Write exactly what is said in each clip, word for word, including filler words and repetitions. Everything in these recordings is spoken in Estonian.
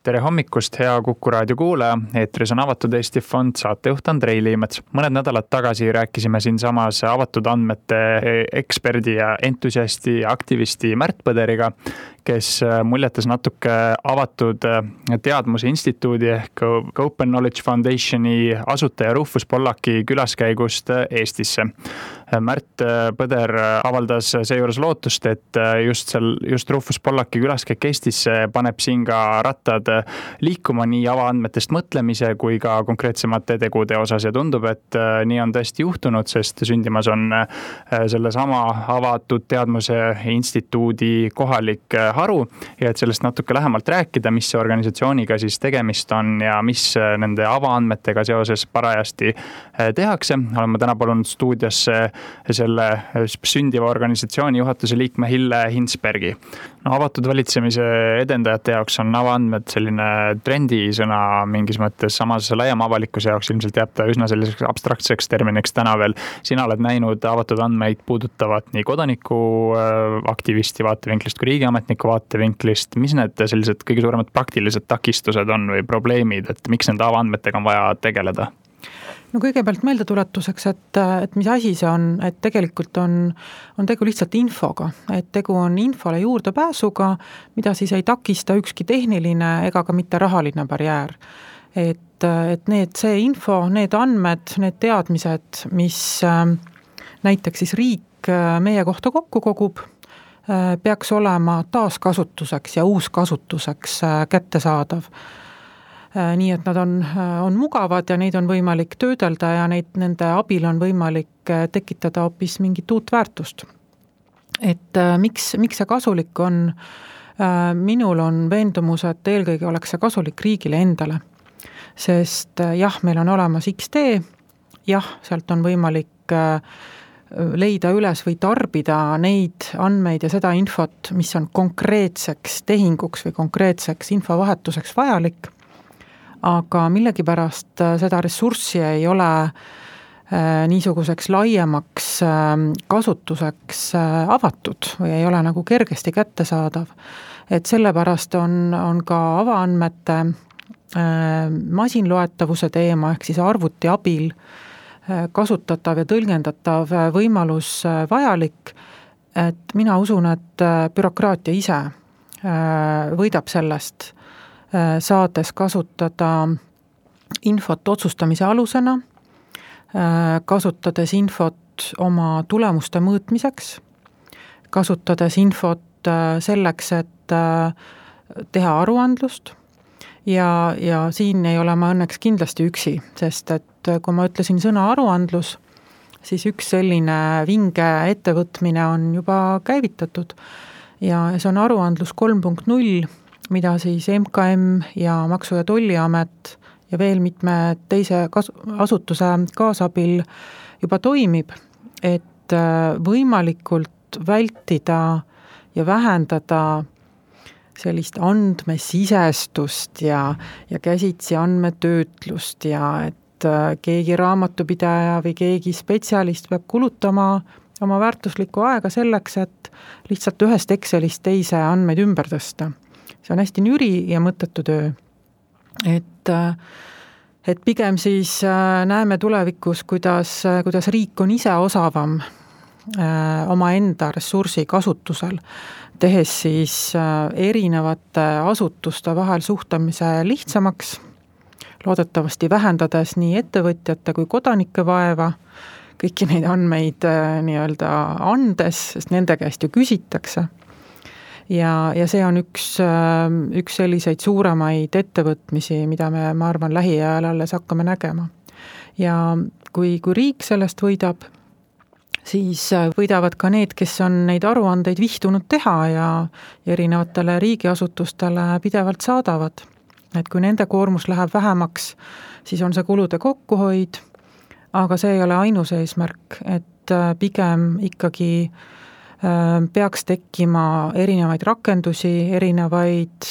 Tere hommikust, hea Kuku raadio kuulaja, eetris on Avatud Eesti Fond, saatejuht Andrei Liimets. Mõned nädalad tagasi rääkisime siin samas avatud andmete eksperdi ja entusiasti aktivisti Märt Põderiga, kes muljetas natuke avatud teadmuse instituudi ehk Open Knowledge Foundationi asutaja Rufus Pollaki külaskäigust Eestisse. Märt Põder avaldas seejuures lootust, et just, seal, just Rufus Pollaki külaskäik Eestisse paneb siin ka rattad liikuma nii avaandmetest mõtlemise kui ka konkreetsemate tegude osas ja tundub, et nii on tõesti juhtunud, sest sündimas on selle sama avatud teadmuse instituudi kohalik haru ja et sellest natuke lähemalt rääkida, mis see organisatsiooniga siis tegemist on ja mis nende avaandmetega seoses parajasti tehakse. Oleme täna palunud stuudiosse selle sündiva organisatsiooni juhatuse liikme Hille Hinsbergi. No, avatud valitsemise edendajate jaoks on avaandmed selline trendisõna mingis mõttes, samas laiema avalikkuse jaoks ilmselt jääb ta üsna selliseks abstraktseks terminiks täna veel. Sina oled näinud avatud andmeid puudutavat nii kodaniku aktivisti vaatevinklist kui riigiametniku vaatevinklist. Mis need sellised kõige suuremad praktilised takistused on või probleemid, et miks nende avaandmetega on vaja tegeleda? No kõigepealt meeldetuletuseks, et, et mis asi see on, et tegelikult on, on tegu lihtsalt infoga, et tegu on infole juurdepääsuga, mida siis ei takista ükski tehniline ega ka mitte rahaline barjäär. Et, et need, see info, need andmed, need teadmised, mis näiteks siis riik meie kohta kokku kogub, peaks olema taaskasutuseks ja uuskasutuseks kättesaadav. Nii et nad on, on mugavad ja neid on võimalik töödelda ja neid, nende abil on võimalik tekitada hoopis mingit uut väärtust. Et miks, miks see kasulik on? Minul on veendumus, et eelkõige oleks see kasulik riigile endale. Sest jah, meil on olemas X D, jah, sealt on võimalik leida üles või tarbida neid andmeid ja seda infot, mis on konkreetseks tehinguks või konkreetseks infovahetuseks vajalik. Aga millegipärast seda ressurssi ei ole niisuguseks laiemaks kasutuseks avatud või ei ole nagu kergesti kättesaadav. Et sellepärast on, on ka avaandmete masinloetavuse teema ehk siis arvuti abil kasutatav ja tõlgendatav võimalus vajalik, et mina usun, et bürokraatia ise võidab sellest, saades kasutada infot otsustamise alusena, kasutades infot oma tulemuste mõõtmiseks, kasutades infot selleks, et teha aruandlust ja, ja siin ei ole ma õnneks kindlasti üksi, sest et kui ma ütlesin sõna aruandlus, siis üks selline vinge ettevõtmine on juba käivitatud ja see on aruandlus kolm punkt null, mida siis M K M ja Maksu- ja Tolliamet ja veel mitme teise kas- asutuse kaasabil juba toimib, et võimalikult vältida ja vähendada sellist andmesisestust ja, ja käsitsi andmetöötlust ja et keegi raamatupidaja või keegi spetsialist peab kulutama oma väärtuslikku aega selleks, et lihtsalt ühest Excelist teise andmeid ümber tõsta. See on hästi nüri ja mõttetu töö. Et, et pigem siis näeme tulevikus, kuidas, kuidas riik on ise osavam oma enda ressursi kasutusel, tehes siis erinevate asutuste vahel suhtlemise lihtsamaks, loodetavasti vähendades nii ettevõtjate kui kodanike vaeva, kõiki neid andmeid nii-öelda andes, sest nende käest ju küsitakse. Ja, ja see on üks, üks selliseid suuremaid ettevõtmisi, mida me, ma arvan, lähiajal alles hakkame nägema. Ja kui, kui riik sellest võidab, siis võidavad ka need, kes on neid aruandeid vihtunud teha ja erinevatele riigiasutustele pidevalt saadavad. Et kui nende koormus läheb vähemaks, siis on see kulude kokkuhoid, aga see ei ole ainus eesmärk, et pigem ikkagi peaks tekkima erinevaid rakendusi, erinevaid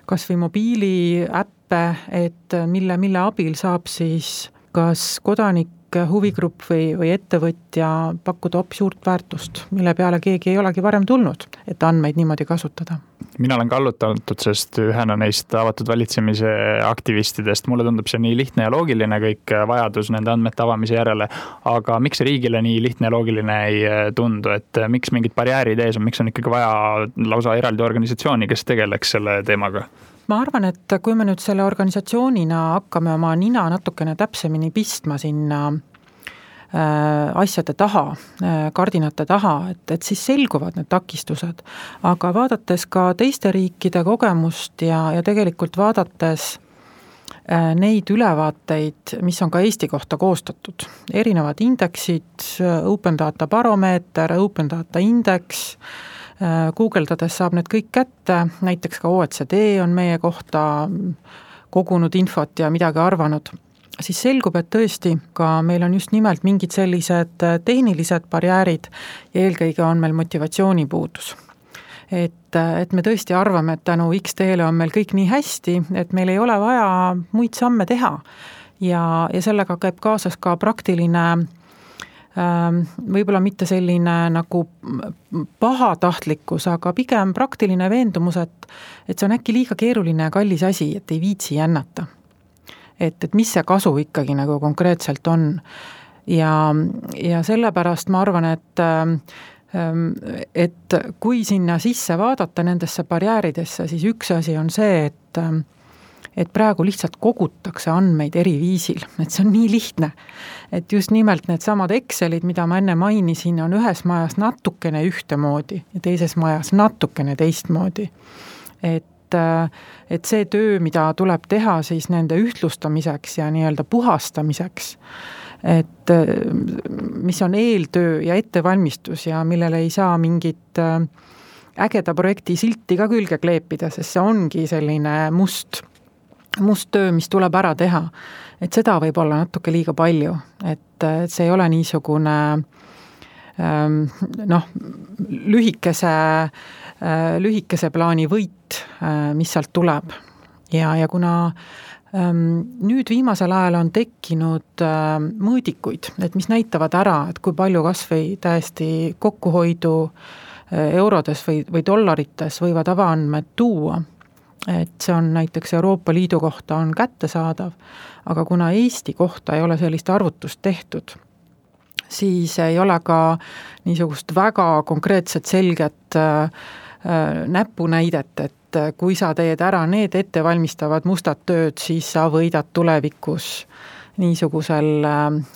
kas või mobiiliäppe, et mille, mille abil saab siis kas kodanik huvigrupp või, või ettevõtja pakkuda hoopis suurt väärtust, mille peale keegi ei olegi varem tulnud, et andmeid niimoodi kasutada. Mina olen kallutatud, sest ühena neist avatud valitsemise aktivistidest, mulle tundub see nii lihtne ja loogiline kõik vajadus nende andmete avamise järele, aga miks see riigile nii lihtne ja loogiline ei tundu, et miks mingid barjäärid ees on, miks on ikkagi vaja lausa eraldi organisatsiooni, kes tegeleks selle teemaga? Ma arvan, et kui me nüüd selle organisatsioonina hakkame oma nina natukene täpsemini pistma sinna asjade taha, kardinate taha, et, et siis selguvad need takistused. Aga vaadates ka teiste riikide kogemust ja, ja tegelikult vaadates neid ülevaateid, mis on ka Eesti kohta koostatud, erinevad indeksid, Open Data Baromeeter, Open Data Index, guugeldades saab need kõik kätte, näiteks ka O E C D on meie kohta kogunud infot ja midagi arvanud, siis selgub, et tõesti ka meil on just nimelt mingid sellised tehnilised barjäärid ja eelkõige on meil motivatsioonipuudus. Et, et me tõesti arvame, et tänu X T-le on meil kõik nii hästi, et meil ei ole vaja muid samme teha ja, ja sellega käib kaasas ka praktiline võib-olla mitte selline nagu pahatahtlikkus, aga pigem praktiline veendumus, et, et see on äkki liiga keeruline ja kallis asi, et ei viitsi jännata. Et, et mis see kasu ikkagi nagu konkreetselt on. Ja, ja sellepärast ma arvan, et, et kui sinna sisse vaadata nendesse barjääridesse, siis üks asi on see, et, et praegu lihtsalt kogutakse andmeid eri viisil, et see on nii lihtne, et just nimelt need samad Excelid, mida ma enne mainisin, on ühes majas natukene ühtemoodi ja teises majas natukene teistmoodi. Et et see töö, mida tuleb teha siis nende ühtlustamiseks ja nii-öelda puhastamiseks, et mis on eeltöö ja ettevalmistus ja millele ei saa mingit ägeda projekti silti ka külge kleepida, sest see ongi selline must, must töö, mis tuleb ära teha. Et seda võib olla natuke liiga palju, et see ei ole niisugune noh, lühikese lühikese plaani võit, mis sealt tuleb. Ja, ja kuna nüüd viimasel ajal on tekkinud mõõdikuid, et mis näitavad ära, et kui palju kas või täiesti kokkuhoidu eurodes või, või dollarites võivad avaandmed tuua, et see on näiteks Euroopa Liidu kohta on kättesaadav, aga kuna Eesti kohta ei ole sellist arvutust tehtud, siis ei ole ka niisugust väga konkreetset selget näpunäidet, et kui sa teed ära need ettevalmistavad mustad tööd, siis sa võidad tulevikus niisugusel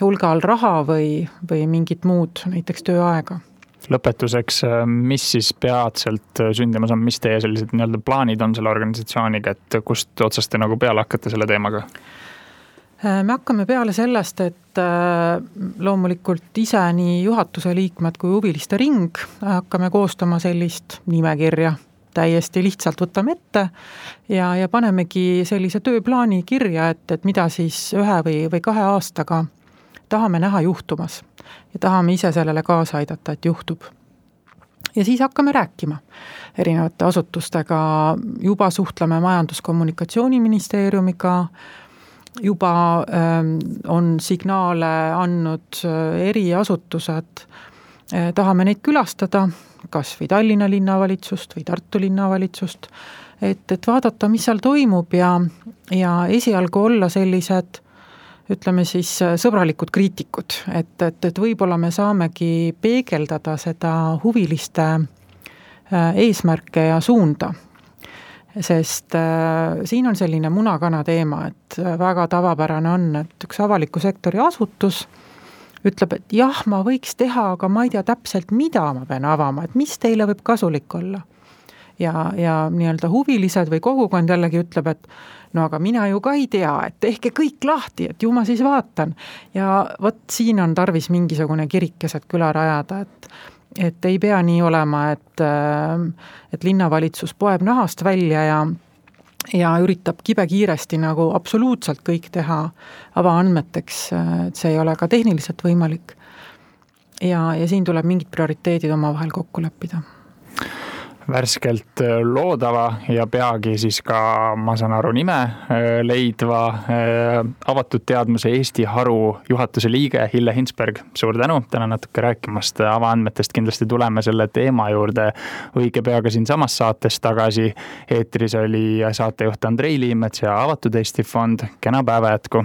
hulgal raha või, või mingit muud, näiteks tööaega. Lõpetuseks, mis siis peatselt sündimas on, mis teie sellised nii-öelda plaanid on selle organisatsiooniga, et kust otsast te nagu peale hakkate selle teemaga? Me hakkame peale sellest, et loomulikult ise nii juhatuse liikmed kui huviliste ring hakkame koostama sellist nimekirja, täiesti lihtsalt võtame ette ja, ja panemegi sellise tööplaani kirja, et, et mida siis ühe või, või kahe aastaga tahame näha juhtumas ja tahame ise sellele kaasa aidata, et juhtub. Ja siis hakkame rääkima erinevate asutustega, juba suhtleme Majandus-Kommunikatsiooniministeeriumiga, juba on signaale andnud eri asutused, tahame neid külastada, kas või Tallinna linnavalitsust või Tartu linnavalitsust, et, et vaadata, mis seal toimub ja, ja esialgu olla sellised, ütleme siis sõbralikud kriitikud, et, et, et võib-olla me saamegi peegeldada seda huviliste eesmärke ja suunda. Sest äh, siin on selline munakana teema, et väga tavapärane on, et üks avaliku sektori asutus ütleb, et jah, ma võiks teha, aga ma ei tea täpselt, mida ma pean avama, et mis teile võib kasulik olla. Ja, ja nii-öelda huvilised või kogukond jällegi ütleb, et no aga mina ju ka ei tea, et tehke kõik lahti, et ju ma siis vaatan. Ja vot siin on tarvis mingisugune kirikeset küla rajada, et et ei pea nii olema, et, et linnavalitsus poeb nahast välja ja, ja üritab kibe kiiresti nagu absoluutselt kõik teha avaandmeteks, et see ei ole ka tehniliselt võimalik. Ja, ja siin tuleb mingid prioriteedid omavahel kokku leppida. värskelt loodava ja peagi siis ka, ma saan aru, nime leidva avatud teadmuse Eesti haru juhatuse liige Hille Hinsberg. Suur tänu täna natuke rääkimast avaandmetest, kindlasti tuleme selle teema juurde õige peaga siin samas saates tagasi. Eetris oli saatejuht Andrei Liimets ja Avatud Eesti Fond. Kena päeva jätku!